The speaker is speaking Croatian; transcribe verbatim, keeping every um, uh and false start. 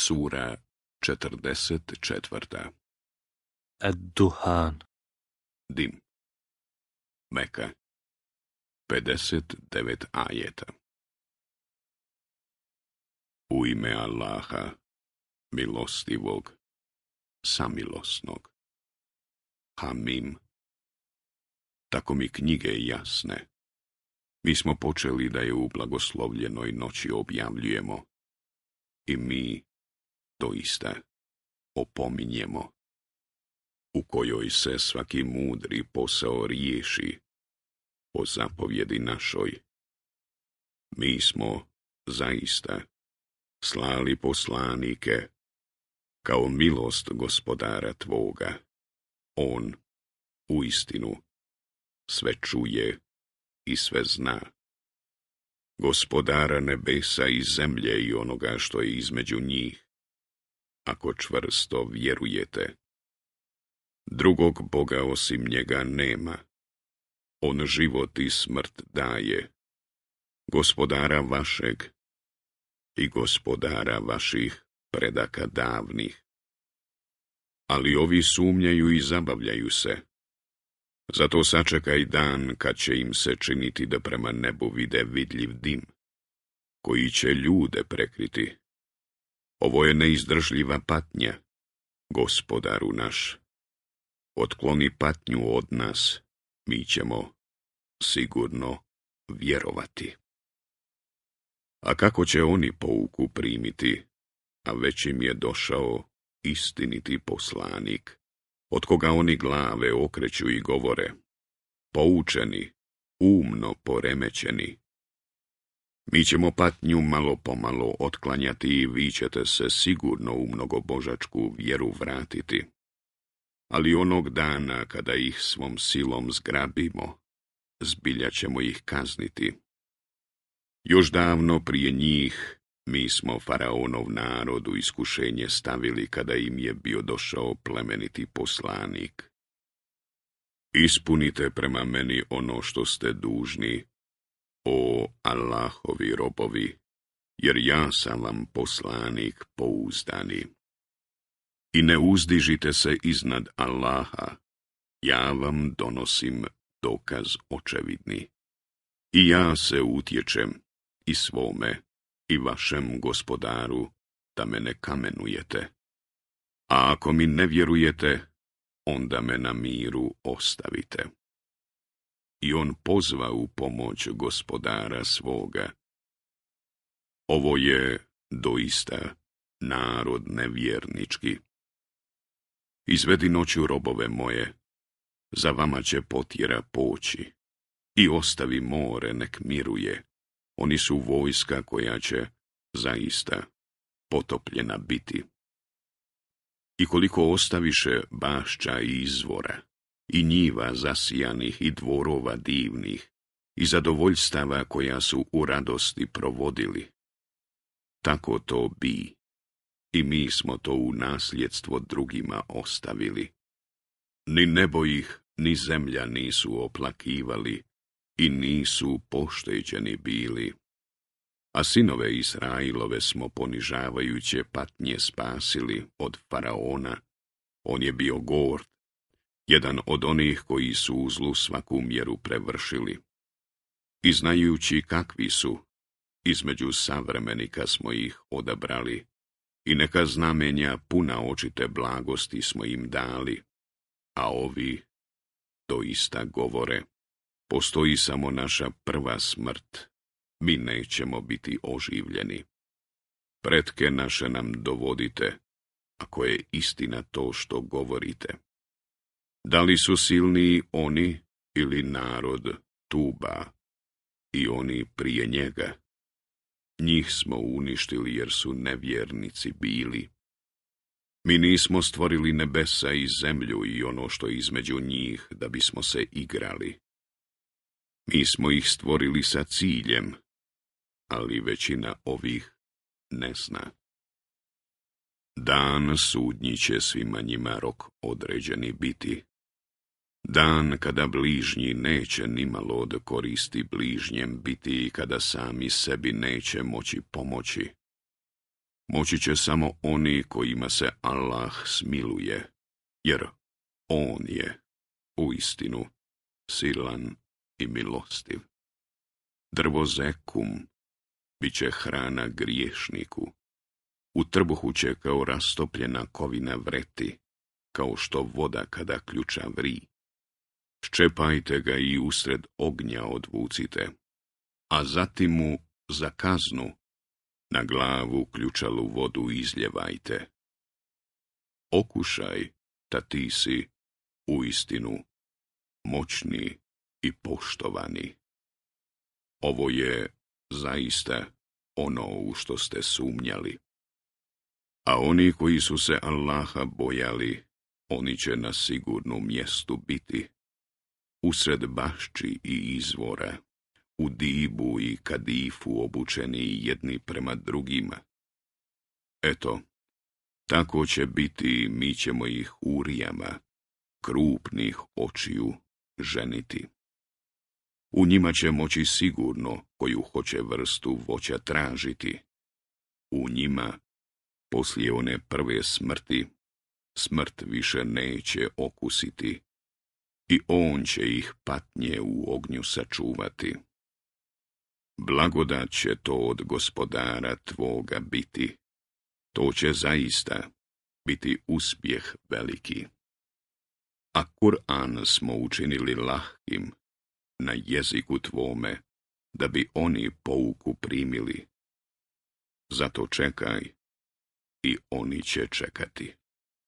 Sura četrdeset četvrta. Ad-Duhan. Dim. Meka. pedeset devet ajeta. U ime Allaha, milostivog, samilosnog. Hamim. Tako mi knjige jasne. Mi smo počeli da je u blagoslovljenoj noći objavljujemo. I mi doista opominjemo, u kojoj se svaki mudri posao riješi po zapovjedi našoj. Mi smo zaista slali poslanike kao milost gospodara tvoga. On uistinu sve čuje i sve zna. Gospodara nebesa i zemlje i onoga što je između njih, ako čvrsto vjerujete. Drugog Boga osim njega nema. On život i smrt daje. Gospodara vašeg i gospodara vaših predaka davnih. Ali ovi sumnjaju i zabavljaju se. Zato sačekaj dan kad će im se činiti da prema nebu vide vidljiv dim, koji će ljude prekriti. Ovo je neizdržljiva patnja, gospodaru naš. Otkloni patnju od nas, mi ćemo sigurno vjerovati. A kako će oni pouku primiti, a već im je došao istiniti poslanik, od koga oni glave okreću i govore, poučeni, umno poremećeni. Mi ćemo patnju malo pomalo otklanjati i vi ćete se sigurno u mnogobožačku vjeru vratiti. Ali onog dana kada ih svom silom zgrabimo, zbilja ćemo ih kazniti. Još davno prije njih mi smo faraonov narod u iskušenje stavili kada im je bio došao plemeniti poslanik. Ispunite prema meni ono što ste dužni, o Allahovi robovi, jer ja sam vam poslanik pouzdani. I ne uzdižite se iznad Allaha, ja vam donosim dokaz očevidni. I ja se utječem i svome i vašem gospodaru da me ne kamenujete. A ako mi ne vjerujete, onda me na miru ostavite. I on pozva u pomoć gospodara svoga. Ovo je doista narod nevjernički. Izvedi noću robove moje, za vama će potjera poći, i ostavi more nek miruje, oni su vojska koja će zaista potopljena biti. I koliko ostaviše bašća i izvora, i njiva zasijanih i dvorova divnih, i zadovoljstava koja su u radosti provodili. Tako to bi, i mi smo to u nasljedstvo drugima ostavili. Ni nebo ih, ni zemlja nisu oplakivali, i nisu pošteđeni bili. A sinove Israilove smo ponižavajuće patnje spasili od faraona. On je bio gord, jedan od onih koji su u zlu svaku mjeru prevršili. I znajući kakvi su, između savremenika smo ih odabrali, i neka znamenja puna očite blagosti smo im dali, a ovi doista govore, postoji samo naša prva smrt, mi nećemo biti oživljeni. Pretke naše nam dovodite, ako je istina to što govorite. Da li su silniji oni ili narod Tuba i oni prije njega? Njih smo uništili jer su nevjernici bili. Mi nismo stvorili nebesa i zemlju i ono što je između njih da bismo se igrali. Mi smo ih stvorili sa ciljem, ali većina ovih ne zna. Dan sudnji će svima njima rok određeni biti. Dan kada bližnji neće nimalo od koristi bližnjem biti i kada sami sebi neće moći pomoći. Moći će samo oni kojima se Allah smiluje, jer On je uistinu silan i milostiv. Drvo zekum bit će hrana griješniku. U trbuhu će kao rastopljena kovina vreti, kao što voda kada ključa vri. Ščepajte ga i usred ognja odvucite, a zatim mu za kaznu na glavu ključalu vodu izljevajte. Okušaj da ti si uistinu moćni i poštovani. Ovo je zaista ono u što ste sumnjali. A oni koji su se Allaha bojali, oni će na sigurnom mjestu biti, usred bašči i izvora, u dibu i kadifu obučeni jedni prema drugima. Eto, tako će biti, mi ćemo ih urijama, krupnih očiju, ženiti. U njima će moći sigurno koju hoće vrstu voća tražiti. U njima, poslije one prve smrti, smrt više neće okusiti i on će ih patnje u ognju sačuvati. Blagodat će to od gospodara tvoga biti. To će zaista biti uspjeh veliki. A Kur'an smo učinili lahkim na jeziku tvome, da bi oni pouku primili. Zato čekaj i oni će čekati.